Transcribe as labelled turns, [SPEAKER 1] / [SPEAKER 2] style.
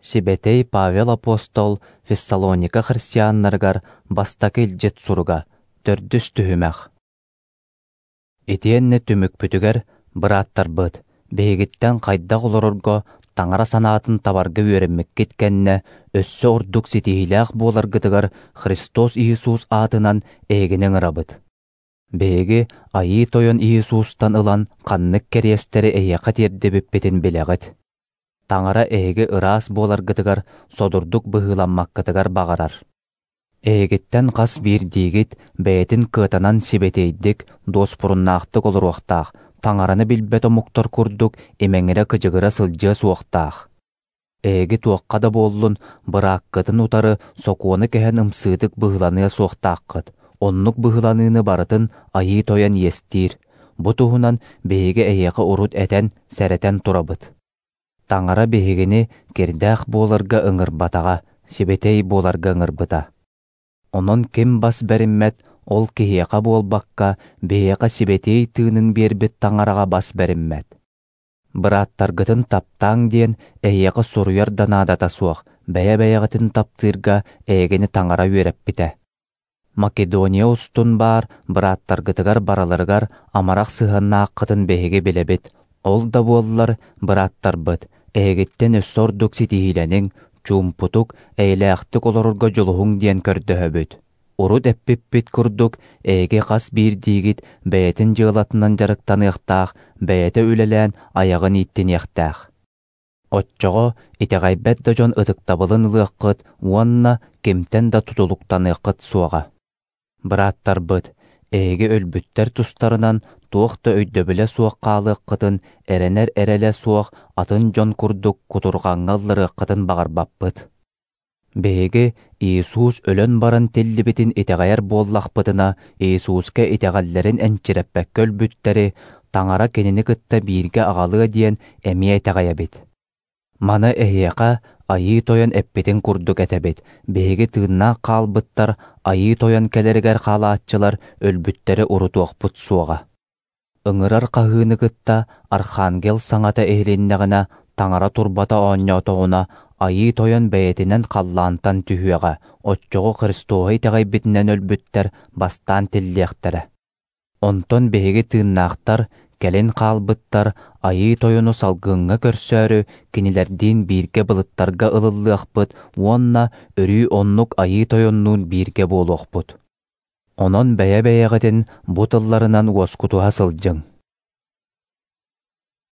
[SPEAKER 1] Сибэтэй Павел апостол Фессалоника христианнарыгар бастакы илдьит суруга, төрдүс түһүмэх. Итиэннэ түмүкпүтүгэр, бырааттарбыт, биһигиттэн хайдах олорорго Таҥара санаатын табарга үөрэммиккит кэннэ, өссө ордук ситиһиилээх буоларгытыгар Христос Иисус аатынан эһигини ыҥырабыт. Биһиги Айыы Тойон Иисустан ылан ханнык кэриэстэри эһиэхэ тиэрдибиппитин билэҕит. Таҥара эһиги ыраас буоларгытыгар содурдук быһыыламмаккытыгар баҕарар. Эһигиттэн хас биирдиигит бэйэтин кыатанан сибэтиэйдик, дуоспуруннаахтык олоруохтаах, Таҥараны билбэт омуктар курдук имэҥирэ-кыдьыгыра сылдьыа суохтаах. Эһиги туохха да буоллун, бырааккытын утары сокуону кэһэн ымсыытык быһыыланыа суохтааххыт, оннук быһыыланыыны барытын Айыы Тойон иэстиир. Бу туһунан биһиги эһиэхэ урут этэн, сэрэтэн турабыт. Таҥара биһигини кирдээх буоларга ыҥырбатаҕа, сибэтиэй буоларга ыҥырбыта. Онон ким бас бэриммэт, ол киһиэхэ буолбакка, биһиэхэ сибэтиэй тыынын биэрбит Таҥараҕа бас бэриммэт. Бырааттаргытын таптааҥ диэн эһиэхэ суруйар да наадата суох, бэйэ-бэйэҕитин таптыырга эһигини Таҥара үөрэппитэ. Македония устун баар бырааттаргытыгар барыларыгар амарах сыһыаннааххытын биһиги билэбит. Ол да буоллар, бырааттарбыт, эһигиттэн өссө ордук ситиһиилэниҥ, чуумпутук, эйэлээхтик олорорго дьулуһуҥ диэн көрдөһөбүт. Урут эппиппит курдук, эһиги хас биирдиигит бэйэтин дьыалатынан дьарыктаныахтаах, бэйэтэ үлэлээн айаҕын ииттиниэхтээх. Оччоҕо итэҕэйбэт да дьон ытыктабылын ылыаххыт уонна кимтэн да тутулуктаныаххыт суоҕа. Бырааттарбыт, эһиги өлбүттэр тустарынан туох да өйдөбүлэ суох хаалыаххытын, эрэнэр эрэлэ суох атын дьон курдук кутурҕаҥҥа ылларыаххытын баҕарбаппыт. Биһиги Иисус өлөн баран тиллибитин итэҕэйэр буоллахпытына, Иисуска итэҕэллэрин энчирэппэккэ өлбүттэри Таҥара кинини кытта бииргэ аҕалыа диэн эмиэ итэҕэйэбит. Маны эһиэхэ Айыы Тойон эппитин курдук этэбит, биһиги тыыннаах хаалбыттар Айыы Тойон кэлэригэр хаалааччылар өлбүттэри урутуохпут суоҕа. Ыҥырар хаһыыны кытта Архангел саҥата иһилиннэҕинэ, Таҥара турбата оонньоотоҕуна, Айыы Тойон бэйэтинэн халлаантан түһүөҕэ, оччоҕо Христоһу итэҕэйбитинэн өлбүттэр бастаан тиллиэхтэрэ. Онтон биһиги тыыннаахтар, кэлин хаалбыттар Айыы Тойону салгыҥҥа көрсөөрү кинилэрдиин бииргэ былыттарга ылыллыахпыт уонна өрүү оннук Айыы Тойоннуун бииргэ буолуохпут. Онон бэйэ-бэйэҕитин бу тылларынан уоскутуһа сылдьыҥ.